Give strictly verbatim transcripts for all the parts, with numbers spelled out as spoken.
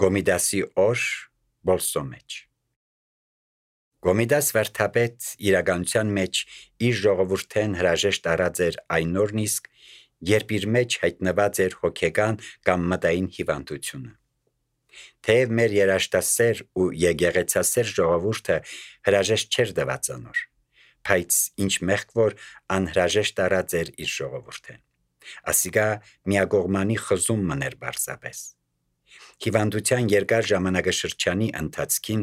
Գոմիդասի օր Բոլսո մեջ։ Գոմիդաս վարդապետ իրականության մեջ իր ժողովուրդեն հրաժեշտ արած էր այն օրն իսկ, երբ իր մեջ հայտնված էր հոգեկան կամ մտային հիվանդությունը։ Թեև մեր երաշտասեր ու եկեղեցասեր ժողովուրդը հրաժեշտ չէր տված անոր, բայց ինչ մեղք որ անհրաժեշտ արած էր իր ժողովուրդեն։ Ասիկա միակողմանի խզում մներ բարձապես։ Հիվանդության երկար ժամանակաշրջանի ընթացքին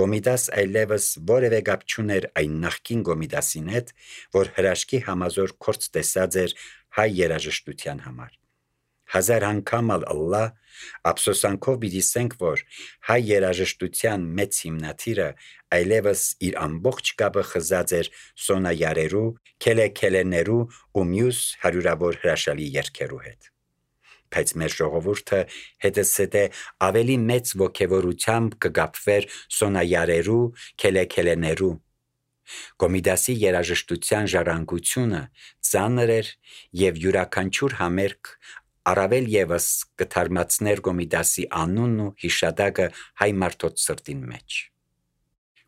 Գոմիդաս այլևս որևէ կապ չուներ այն նախկին Գոմիդասին հետ, որ հրաշքի համազոր կորց տեսած էր հայ երաժշտության համար։ Հազար անգամ ըլլա ափսոսանքով պիտի որ հայ երաժշտության մեծ հիմնադիրը այլևս իր ամբողջ կապը խզած էր սոնայարերու, քելեքելեներու ու մյուս հարյուրավոր հրաշալի երգերու հետ։ Բայց մեր ժողովուրդը հետսեթե ավելի մեծ ոգևորությամբ կգապվեր սոնայարերու, քելեքելեներու։ Գոմիդասի երաժշտության ժառանգությունը ծանր էր եւ յուրաքանչյուր համերգ առավել եւս կթարմացներ Գոմիդասի անունն ու հիշատակը հայ մարդոց սրտին մեջ։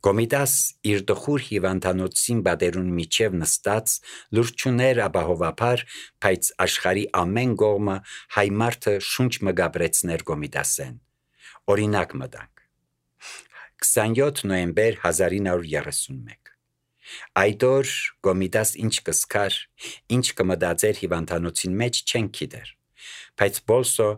Գոմիդաս իր տխուր հիվանդանոցին բادرուն միջև նստած լուրջ չուներ ապահովաբար, բայց աշխարի ամեն կողմը հայ մարդը շունչ մգաբրեցներ Գոմիդասեն։ Օրինակ մտանք։ քսանյոթ նոյեմբեր հազար ինը հարյուր երեսունմեկ։ Այդ օր Գոմիդաս ինչ կսկար, ինչ կմտածեր հիվանդանոցին մեջ չեն գիտեր, բայց Բոլսո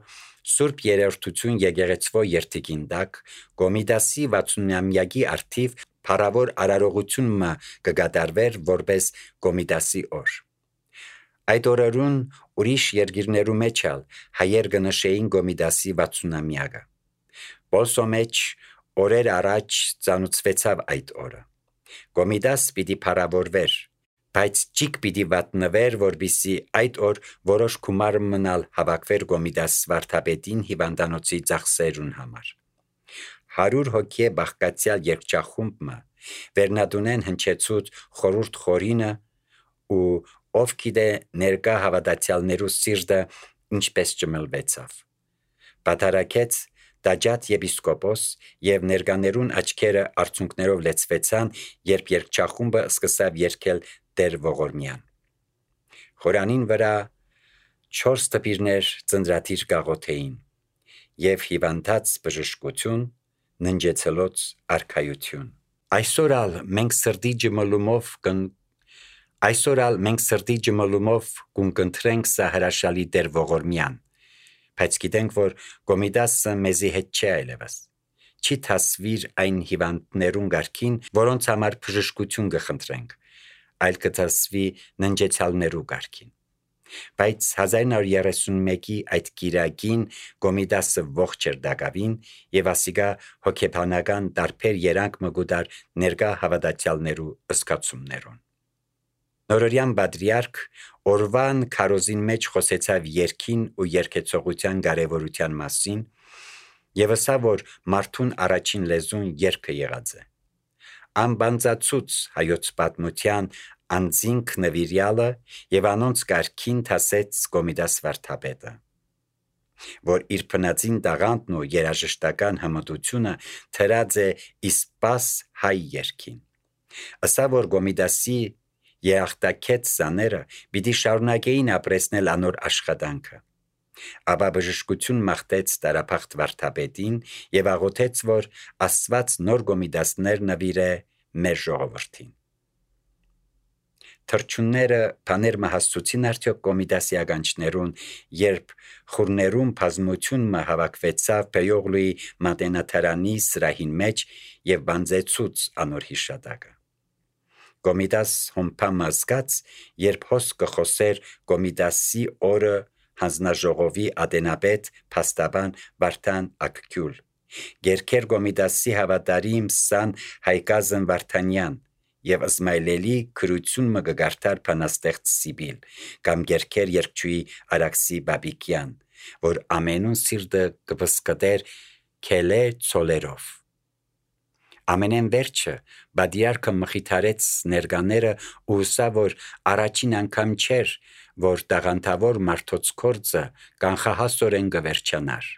Սուրբ երրորդություն եկեղեցվո երթիկին տակ Գոմիդասի վաթսունամյակի արդիվ փառավոր արարողությունը կգադարվեր որպես Գոմիդասի օր։ Այդ օրերուն ուրիշ երկիրներու մեջ ալ հայեր կնշեին Գոմիդասի վաթսունամյակը։ Բոլսո մեջ օրեր առաջ ծանուցվեցավ այդ օրը։ Գոմիդաս պիտի փառավորվեր, բայց ճիկ պիտի վատնվեր, որբիսի այդ օր որոշ գումար մնալ հավաքվեր Գոմիդաս վարդապետին հիվանդանոցի ծախսերուն համար։ Հարյուր հոգի բաղկացյալ երգչախումբը վերնադունեն հնչեցուց խորուրդ խորինը ու ով գիտե ներկա հավատացյալներու սիրտը ինչպես ճմլվեցավ։ Պատարակեց Տաճատ եպիսկոպոս եւ ներկաներուն աչքերը արցունքներով լեցվեցան, երբ երգչախումբը սկսավ երգել Տեր Ողորմյան։ Խորանին վրա չորս տպիրներ ծնդրադիր գաղոթեին եւ հիվանդած բժշկություն, ննջեցելոց արքայություն։ Այսօր ալ մենք սրտի ջմլումով կն Այսօր ալ մենք սրտի ջմլումով կընտրենք սա հրաշալի Տեր Ողորմյան, բայց գիտենք, որ Գոմիդասը մեզի հետ չէ այլևս։ Չի թասվիր այն հիվանդներուն գարքին, որոնց համար բժշկություն կխնդրենք, այլ կթասվի ննջեցյալներու գարքին։ Բայց հազար ինը հարյուր երեսունմեկի այդ կիրակին Գոմիդասը ողջ էր դակավին եւ ասիկա հոգեբանական տարբեր երանգ մգուդար ներկա հավատացյալներու ըսկացումներուն։ Նորորյան բադրիարք օրվան քարոզին մեջ խոսեցավ երգին ու երգեցողության կարևորության մասին եւ ասա, որ մարդուն առաջին լեզուն երգը եղած է։ Անբանձացուց հայոց պատմության անձինք նվիրյալը եւ անոնց կարգին թասեց Գոմիդաս վարդապետը, որ իր փնածին տաղանդն ու երաժշտական հմտությունը թրած է իսպաս հայ երգին։ Ասա, որ Գոմիդասի երախտակեց սաները պիտի շարունակեին ապրեսնել անոր աշխատանքը։ Ապա բժշկություն մաղթեց տարափախտ վարդապետին եւ աղոթեց, որ Աստված նոր Գոմիդասներ նվիրե մեր ժողովրդին։ Թրջունները բաներ մահացուցին արդյոք Գոմիդասի ականջներուն, երբ խուրներուն բազմությունը հավաքվեցավ Պեյողլուի մատենաթարանի սրահին մեջ եւ բանձեցուց անոր հիշատակը։ Գոմիդաս հոմփամը զգաց, երբ հոս կխոսեր Գոմիդասի օրը հանձնաժողովի ադենապետ փաստաբան Վարդան Ակքյուլ, գերքեր Գոմիդասի հավատարիմ սան Հայկազն Վարդանյան եւ Իսմայելելի քրություն մը գարտար փանաստեղծ Սիբիլ կամ գերքեր երկչուի Արաքսի Բաբիկյան, որ ամենուն սիրտը կպսկտեր քելե ցոլերով։ Ամենեն վերջը բադիարքը մխիթարեց ներկաները ու սա, որ առաջին անգամ չէր, որ տաղանդավոր մարդոց կորձը կանխահասորեն գվերջանար,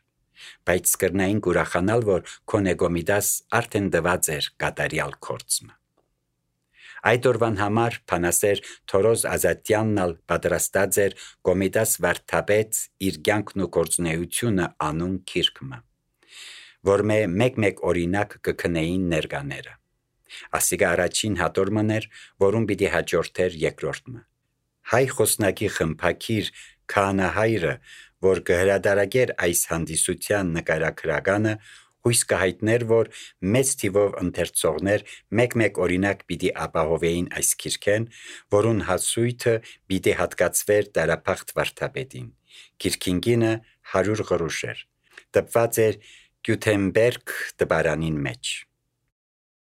բայց կրնային կուրախանալ, որ Կոնեգոմիդաս արդեն դված էր կատարյալ կորցմը։ Այդ օրվան համար փանասեր Թորոզ Ազատյանն պատրաստած էր Կոմիդաս վարդապետ իր կյանքն ու գործունեությունը անուն քիրքմը, որ մե մեկ-մեկ օրինակ կքնեին ներկաները։ Ասիկա առաջին հատորմն էր, որում պիտի հաջորդեր երկրորդը։ Հայ խոսնակի խմփակիր քահանահայրը, որ կհրադարագեր այս հանդիսության նկարագրականը, հույս կհայտներ, որ մեծ թիվով ընթերցողներ մեկ-մեկ օրինակ պիտի ապահովեին այս քիրքեն, որուն հասույթը պիտի հատկացվեր դարափախտ վարդապետին։ Քիրքին գինը հարյուր գրուշ էր, տպված էր Գյութենբերգ տպարանին մեջ։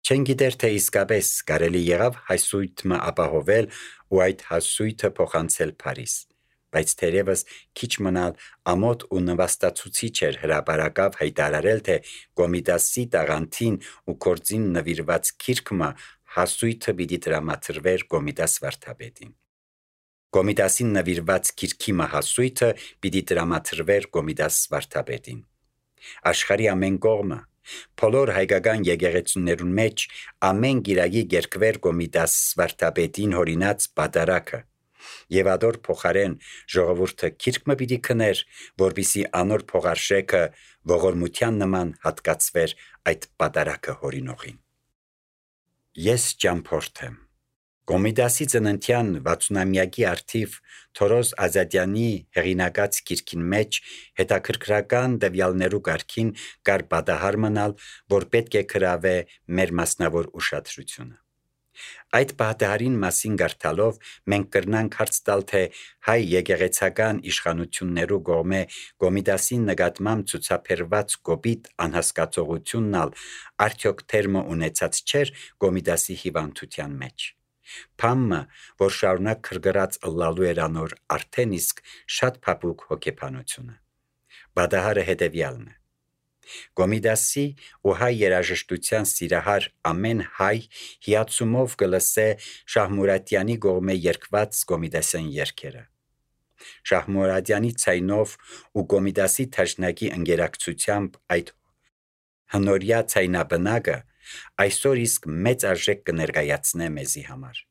Չեն գիտեր, թե իսկապես կարելի եղավ հասույթը ապահովել ու այդ հասույթը փոխանցել Փարիզ, բայց թերևս քիչ մնալ ամոթ ու նվաստացուցիչ էր հրապարակավ հայտարարել, թե Կոմիդասի տաղանդին ու կորձին նվիրված քիրքմը հասույթը պիտի տրամադրվեր Կոմիդաս վարդապետին։ Կոմիդասին նվիրված քիրքի հասույթը պիտի տրամադրվեր Կոմիդաս վարդապետին։ Աշխարհի ամեն կողմը, բոլոր հայկական եկեղեցիներուն մեջ ամեն գիրագի գերկվեր Կոմիդաս վարդապետին հորինած պատարակը, եւ ադոր փոխարեն ժողովուրդը քիրքը պիտի քներ, որպիսի անոր փողարշեքը ողորմության նման հատկացվեր այդ պատարակը հորինողին։ Ես ճամփորդ եմ։ Կոմիդասի ծննդյան վաթսունամյակի արդիվ Թորոզ Ազատյանի հեղինակած քիրքին մեջ հետաքրքրական տվյալներու կարգին կար պատահար մնալ, որ պետք է գրավե մեր մասնավոր ուշադրությունը։ Այդ պատահարին մասին գարտալով մենք կրնանք հարց տալ, թե հայ եկեղեցական իշխանություններու կողմէ Կոմիդասին նկատմամբ ցուցաբերված կոպիտ անհասկացողությունն ալ արդյոք թերմը ունեցած չէր Կոմիդասի հիվանդության մեջ։ Փամը, որ շարունակ քրգրած ըլլալու էր անոր արդեն իսկ շատ փափուկ հոգեբանությունը։ Պատահարը հետևյալն է։ Կոմիդասի ու հայ երաժշտության սիրահար ամեն հայ հիացումով կլսե Շահմուրատյանի կողմէ երգված Կոմիդասյան երգերը։ Շահմուրատյանի ցայնով ու Կոմիդասի թաշնակի ընկերակցությամբ այդ հնորյա ցայնաբնակը այսօր իսկ մեծ արժեք կներկայացնե մեզի համար։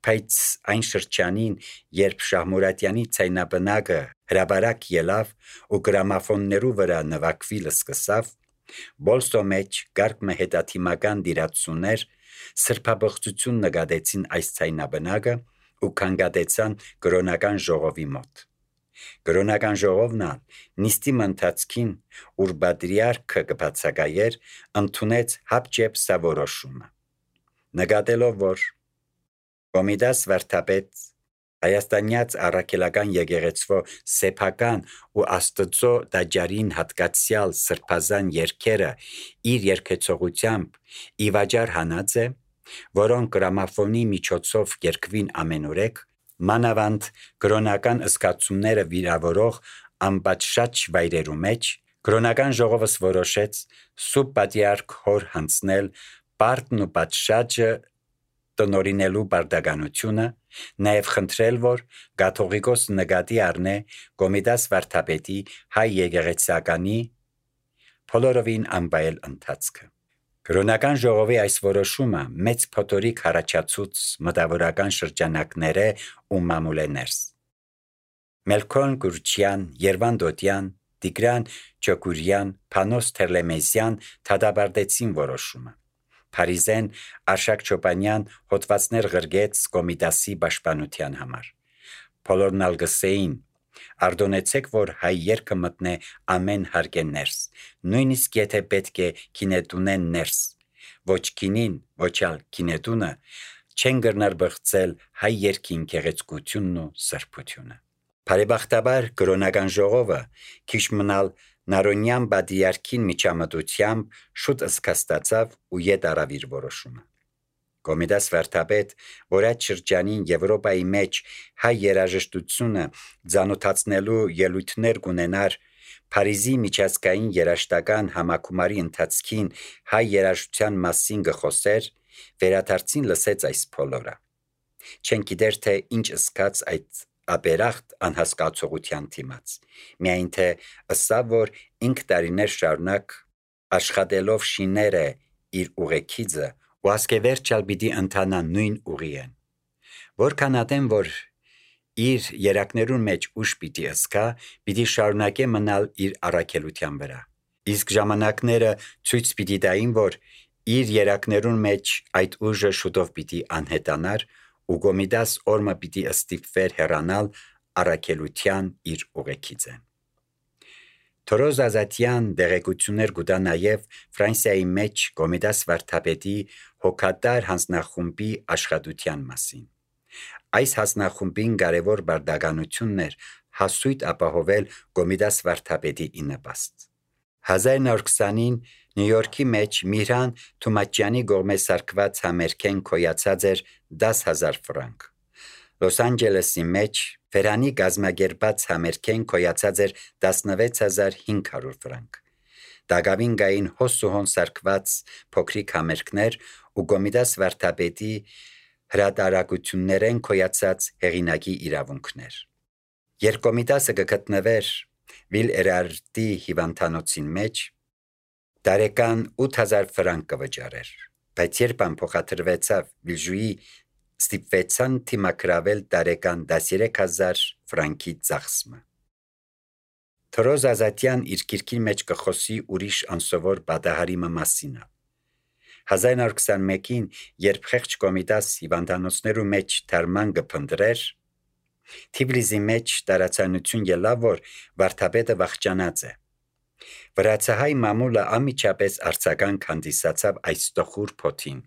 Բայց այն շրջանին, երբ Շահմուրատյանի ցայնաբնակը հրաբարակ ելավ ու գրամաֆոններու վրա նվագվի լսկսավ, բոլսո մեջ գարկմը հետաթիմական դիրացուներ սրբաբղծություն նկատեցին այս ցայնաբնակը ու կանգատեցան կրոնական ժողովի մոտ։ Կրոնական ժողովն նիստի ընթացքին, ուր պատրիարքը կբացակայեր, ընդունեց հապճեպ սա որոշումը։ Նկատելով, որ Կոմիդաս վարդապետ հայաստանյաց առաքելական եկեղեցվո սեփական ու Աստծո դաջարին հատկացյալ սրբազան երգերը իր երգեցողությամբ ի վաճառ հանած է, որոնք գրամաֆոնի միջոցով երգվին ամենուրեք, մանավանդ կրոնական զգացումները վիրավորող անպատշաճ վայրերու մեջ, կրոնական ժողովս որոշեց սուրբ պատրիարք հոր հանձնել պարտն ու պատշաճը տնօրինելու բարդականությունը, նաև խնդրել, որ կաթողիկոս նկատի առնե Կոմիդաս վարդապետի հայ եկեղեցականի բոլորովին անվայել ընթացքը։ Կրոնական ժողովի այս որոշումը մեծ փոթորիկ առաջացուց մտավորական շրջանակները ու մամուլեներս։ Մելքոն Գուրչյան, Երվան Դոդյան, Տիգրան Չոկուրյան, Փանոս Թերլեմեզյան դատապարտեցին որոշումը։ Փարիզեն Արշակ Չոպանյան հոդվածներ գրգեց Կոմիդասի պաշտպանության համար։ Բոլորն ալ գսեին, արդոնեցեք, որ հայ երգը մտնե ամեն հարկե ներս, նույնիսկ եթե պետք է կինետունեն ներս, ոչ կինին, ոչ ալ կինետունը չեն գրնար բղծել հայ երգին գեղեցկությունն ու սրբությունը։ Բարեբախտաբար կրոնական ժողովը քիչ մնալ Նարոնյան պատրիարքին միջամտությամբ շուտ ըսկաստացավ ու ետ արավ իր որոշումը։ Կոմիդաս վարդապետ, որ այդ շրջանին Եվրոպայի մեջ հայ երաժշտությունը ծանոթացնելու ելույթներ կունենար, Փարիզի միջազգային երաժշտական համակումարի ընթացքին հայ երաժշտության մասին գխոսեր, վերադարձին լսեց այս բոլորը։ Չեն գիտեր, թե ինչ ըսկաց այդ ապերախտ անհասկացողության դիմաց։ Միայն թե ըսավ, որ ինք տարիներ շարունակ աշխատելով շիներ է իր ուղեկիցը ու ասկևերջալ պիտի ընթանա նույն ուղիեն։ Որքան ատեն, որ իր երակներուն մեջ ուժ պիտի ըսկա, պիտի շարունակե մնալ իր առաքելության վրա։ Իսկ ժամանակները ցույց պիտի տային, որ իր երակներուն մեջ այդ ուժը շուտով պիտի անհետանար ու Կոմիդաս օրմը պիտի ստիպվեր հեռանալ առաքելության իր ուղեկիցեն։ Թորոզ Ազատյան դեղեցություններ կուտա նաև Ֆրանսիայի մեջ Կոմիդաս վարդապետի հոգատար հանձնախումբի աշխատության մասին։ Այս հանձնախումբին կարևոր բարդականությունն էր հասույթ ապահովել Կոմիդաս վարդապետի ինպաստ։ հազար նոր քսանին Նյու Յորքի մեջ Միրհան Թումաչյանի կողմէ սարքված համերգեն կոյացած էր դաս հազար ֆրանկ։ Լոս Անջելեսի մեջ Ֆերանի գազմագերբած համերգեն կոյացած էր տասնվեց հազար հինգ հարյուր ֆրանկ։ Դագավին գային հոսուհոն սարքված փոքրիկ համերգներ ու Կոմիդաս վարդապետի հրատարակություններեն կոյացած հեղինակի իրավունքներ։ Երբ Կոմիդասը կգտնվեր Վիլ Էրարդի հիվանդանոցին մեջ, տարեկան ութ հազար ֆրանկ կվճարեր, բայց երբ ամփոխադրվեցավ Վիլժուի ստիպվեցան թիմակրավել տարեկան տասներեք հազար ֆրանկի ծախսմը։ Թորոզ Ազատյան իր գիրքի մեջ կխոսի ուրիշ անսովոր պատահարի մասինը։ հազար նոր քսանմեկին, երբ խեղճ Կոմիդաս հիվանդանոցներու մեջ թարման կփնտրեր, Թիֆլիսի մեջ տարածանություն ելավ, որ վարդապետը վախճանած է։ Վրացահայ մամուլը անմիջապես արձագանք հանդիսացավ այս տխուր փոթին։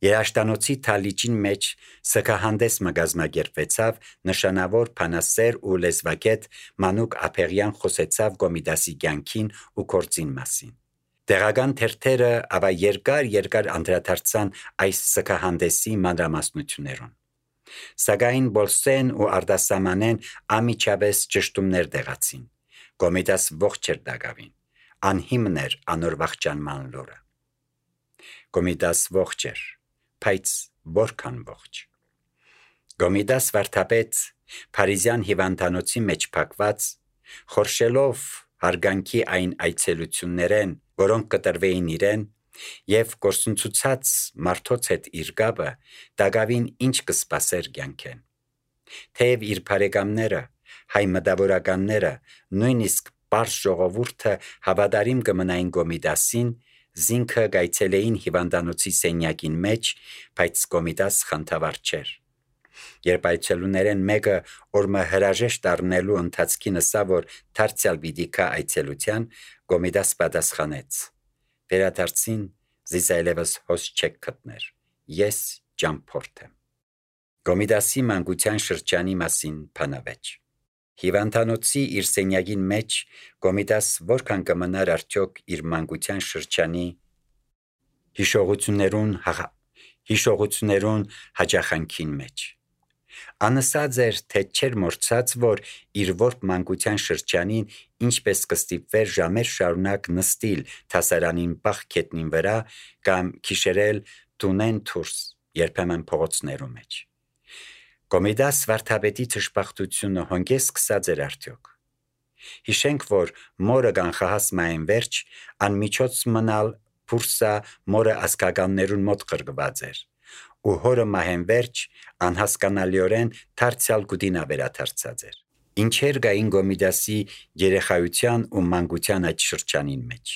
Երաշտանոցի թալիճին մեջ սգահանդես մգազմագերբվեցավ նշանավոր փանասեր ու լեզվակետ Մանուկ Ափեղյան խոսեցավ Կոմիդասի կյանքին ու գործին մասին։ Տեղական թերթերը ավա երկար երկար անդրադարձան այս սգահանդեսի մանրամասնություններուն։ Սակայն Բոլսեն ու Արդասամանեն անմիջապես ճշտումներ դեղացին։ Կոմիդաս ողջ էր դակավին, անհիմն էր անոր վախճանման լուրը։ Կոմիդաս ողջ էր, բայց որքան ողջ։ Կոմիդաս վարդապետ Փարիզյան հիվանդանոցի մեջ փակված, խորշելով հարգանքի այն այցելություններեն, որոնք կտրվեին իրեն, եւ կորսնցուցած մարդոց հետ իր գաբը դակավին ինչ կսպասեր կյանքեն։ Թեև իր բարեկամները, հայ մտավորականները, նույնիսկ պարզ ժողովուրդը հավատարիմ կմնային Կոմիդասին, զինքը գայցելեին հիվանդանոցի սենյակին մեջ, բայց Կոմիդաս խանդավառ չէր։ Երբ այցելուներեն մեկը օրմը հրաժեշտ առնելու ընթացքին ըսա, որ դարձյալ պիտի գա այցելության, Կոմիդաս պատասխանեց. «Վերադարձին զիս այլևս հոս չեք գտներ, ես ճամփորդ եմ»։ Կոմիդասի մանկության շրջանի մասին բանավեճ։ Հիվանդանոցի իր սենյակին մեջ Կոմիդաս որքան կմնար արդյոք իր մանկության շրջանի հիշողություններուն հիշողություններուն հաճախանքին մեջ։ Անըսած էր, թե չէր մորցած, որ իր որբ մանկության շրջանին ինչպես կստիպվեր ժամեր շարունակ նստիլ թասարանին բախ քետնին վրա կամ քիշերել տունեն դուրս, երբեմն փողոցներու մեջ։ Կոմիդաս վարդապետի թշպախտությունը հոնգես սկսած էր արդյոք։ Հիշենք, որ մորը կանխահաս մային վերջ անմիջոց մնալ փուրսա մորը ասկականներուն մոտ գրգված էր, ու հորը մահեն վերջ անհասկանալիորեն դարձյալ գուդինա վերադարձած էր։ Ինչեր գային Կոմիդասի երեխայության ու մանկության այդ շրջանին մեջ։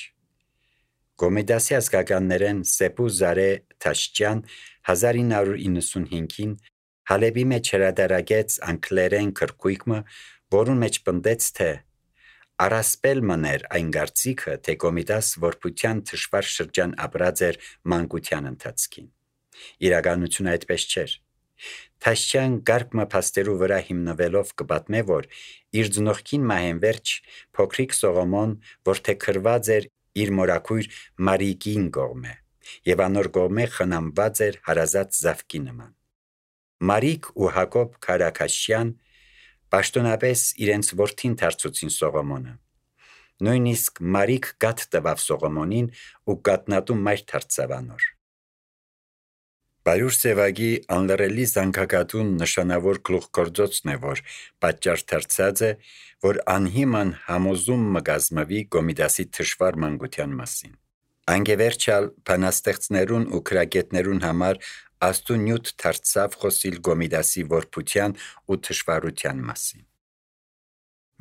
Կոմիդասի ասկականներեն Սեպու Զարե Թաշճյան հազար ինը հարյուր իննսունհինգին Հալեբի մեջ հրատարակեց անգլերեն քրքույկը, որուն մեջ պնդեց, թե առասպել մներ այն գարցիկը, թե Կոմիդաս որբության թշվար շրջան ապրած էր մանկության ընթացքին։ Իրականությունը այդպես չէր։ Թաշճյան գարկմը փաստերու վրա հիմնվելով կպատմե, որ իր ծնողքին մահեն վերջ փոքրիկ Սողոմոն, որ թե քրված էր իր մորաքույր Մարիկին կողմե, եւ անոր կողմե խնամված էր հարազատ զավկի նման։ Մարիկ ու Հակոբ Քարաքաշյան պաշտոնապես իրենց որդին դարձուցին Սողոմոնը։ Նույնիսկ Մարիկ գատ տվավ Սողոմոնին ու գատնատու մայր դարձավ անոր։ Բարուր Սևագի անլռելի զանգակատուն նշանավոր գլուխգործոցն է, որ պատճառ դարձած է, որ անհիման համոզում մը գազմավի Կոմիտասի թշվառ մանկության մասին։ Անգևերջալ բանաստեղծներուն ու քրագետներուն համար աստու նյութ դարձավ խոսիլ Կոմիտասի որբության ու թշվառության մասին։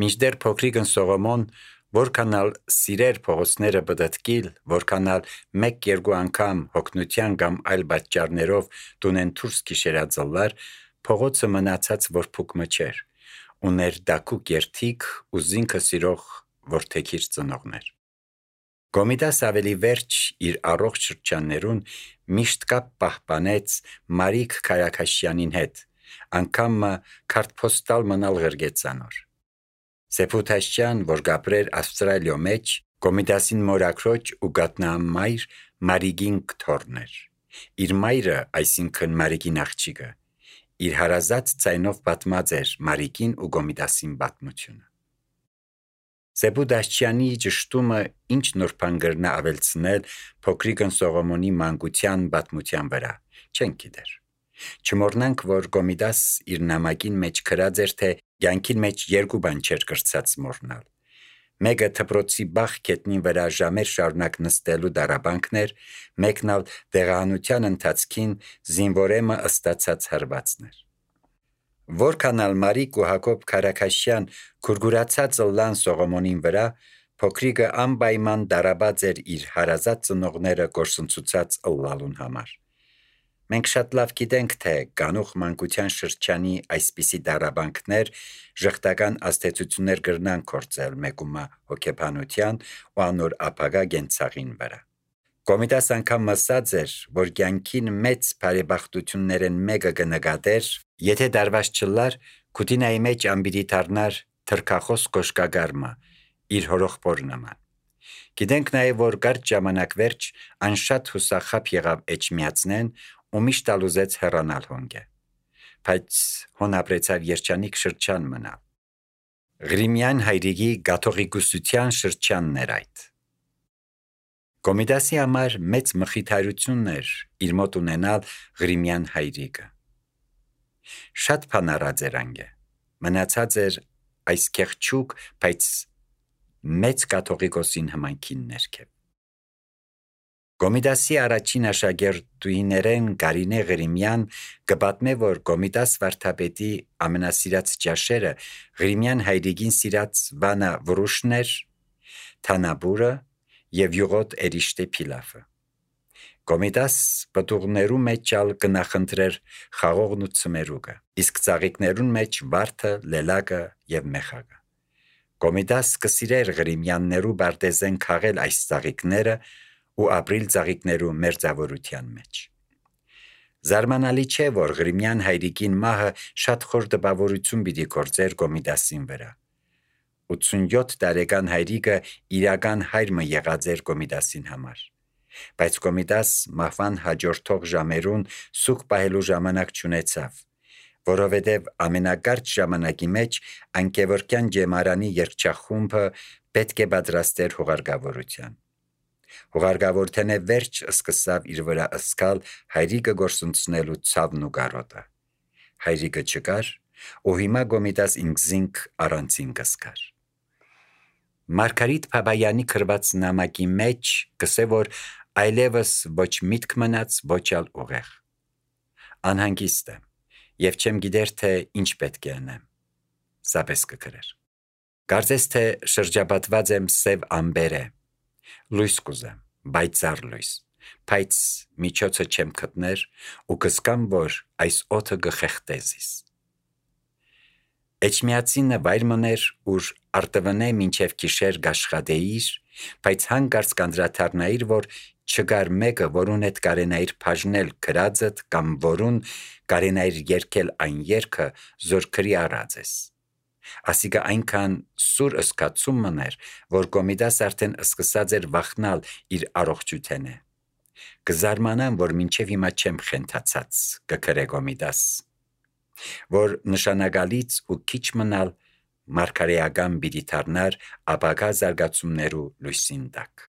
Մինչդեռ փոքրիկն Սողոմոն որքանալ սիրեր փողոցները բդտկիլ, որքանալ մեկ-երկու անգամ հոգնության կամ այլ պատճառներով տունեն դուրս քիշերածլար, փողոցը մնացած որփուկ մը չէր, ուներ դակուկ երթիկ ու զինքը սիրող որդեքիր ծնողներ։ Կոմիտաս ավելի վերջ իր առողջ շրջաններուն միշտ կապ պահպանեց Մարիկ Քարաքաշյանին հետ, անգամ մը քարտփոստալ մնալ ղրգեցանոր։ Սեփութաշյան, որ գապրեր Ավստրալիո մեջ, Կոմիտասին մորակրոջ ու գատնամայր Մարիգին կթորներ։ Իր մայրը, այսինքն Մարիգին աղջիկը, իր հարազատ ցայնով պատմած էր Մարիգին ու Կոմիտասին պատմությունը։ Սեփութաշյանի ճշտումը ինչ նոր բան գրնա ավելցնել փոքրիկն Սողոմոնի մանկության պատմության վրա, չեն գիտեր։ Չմոռնանք, որ Կոմիտաս իր նամակին մեջ գրած էր, թե կյանքին մեջ երկու բան չէր կրծած մոռնալ։ Մեկը թփրոցի բախ գետնին վրա ժամեր շարունակ նստելու դարաբանքն էր, մեկն ալ դեղահանության ընթացքին զինվորեմը ըստացած հարվածներ։ Որքանալ Մարիկ ու Հակոբ Քարաքաշյան քուրգուրացած լան Սողոմոնին վրա, փոքրիկը անպայման դարաբաց էր իր հարազատ ծնողները գործընծուցած ըլլալուն համար։ Մենք շատ լավ գիտենք, թե կանուխ մանկության շրջանի այսպիսի դարաբանքներ ժխտական աստեցություններ կրնան կործել մեկումա հոգեբանության ու անոր ապագա գենցաղին վրա։ Կոմիտաս անգամ մսած էր, որ կյանքին մեծ բարեբախտություններեն մեկը կնկատեր, եթե դարված չլար, քուտինայի մեջ ամբիրի դառնար թրքախոս կոշկագարմը, իր հորոխբոր նման։ Գիտենք նաև, որ կարճ ժամանակ վերջ անշատ հուսախապ եղավ Էջմիածնեն ու միշտ ալուզեց հեռանալ հոնգե, բայց հոն ապրեցավ երջանիկ շրջան մնալ։ Ղրիմյան հայրիկի գաթողիկոսության շրջանն էր այդ։ Կոմիտասի համար մեծ մխիթարությունն էր իր մոտ ունենալ Ղրիմյան հայրիկը։ Շատ բան արած էր անգե, մնացած էր այս կեղճուկ, բայց մեծ կաթողիկոսին հմայքին ներքև։ Կոմիտասի առաջին աշակերտուհիներեն Գարինե Ղրիմյան կպատմե, որ Կոմիտաս վարդապետի ամենասիրած ճաշերը Ղրիմյան հայրիկին սիրած վանա վրուշներ, թանաբուրը և յուղոտ էրիշտե փիլաֆը։ Կոմիտաս պտուղներու մեջ ալ կնախընտրեր խաղողն ու ցմերուկը, իսկ ծաղիկներուն մեջ վարդը, լելակը և մեխակը։ Կոմիտաս կսիրեր Ղրիմյաններու բարտեզեն քաղել այս ծաղիկները ու ապրիլ ծաղիկներու մերձավորության մեջ։ Զարմանալի չէ, որ Ղրիմյան հայրիկին մահը շատ խոր տպավորություն պիտի գործեր Կոմիտասին վրա։ ութսունյոթ տարեկան հայրիկը իրական հայրը եղած էր Կոմիտասին համար, բայց Կոմիտաս մահվան հաջորդող ժամերուն սուկ պահելու ժամանակ չունեցավ, որովհետև ամենակարճ ժամանակի մեջ անկևորկյան ջեմարանի երգչախումբը պետք է պատրաստեր հուղարկավորության։ Հուղարկավորթենե վերջ սկսավ իր վրա ըսկալ հայրիկը գործունցնելու ցավն ու կարոտը։ Հայրիկը չկար, ու հիմա Կոմիտաս ինքզինք առանցին կսկար։ Մարգարիտ Փաբայանի գրված նամակի մեջ կսե, որ այլևս ոչ միտք մնաց, ոչ ալ ուղեղ։ Անհանգիստ եմ և չեմ գիտեր, թե ինչ պետք է անեմ։ Սապես կգրեր։ Կարծես թե շրջապատված եմ սև ամբերե, լույս կուզեմ, բայցար լույս, բայց միջոցը չեմ գտներ ու կսկամ, որ այս օդը կխեղդեզիս։ Էջմիածինը վայր մներ, ուր արտվնե մինչև գիշեր կաշխատեիր, բայց հանկարծ կանդրադառնայիր, որ չկար մեկը, որուն հետ կարենայիր բաժնել գրածդ կամ որուն կարենայիր երգել այն երգը, զոր գրի առած ես։ Ասիկա այնքան սուր ըսկացում մներ, որ Կոմիտաս արդեն սկսած էր վախնալ իր առողջութենե։ Կզարմանամ, որ մինչև հիմա չեմ խենթացած, կգրե Կոմիտաս, որ նշանակալից ու քիչ մնալ մարգարեական պիտի դառնար ապագա զարգացումներու լույսին տակ։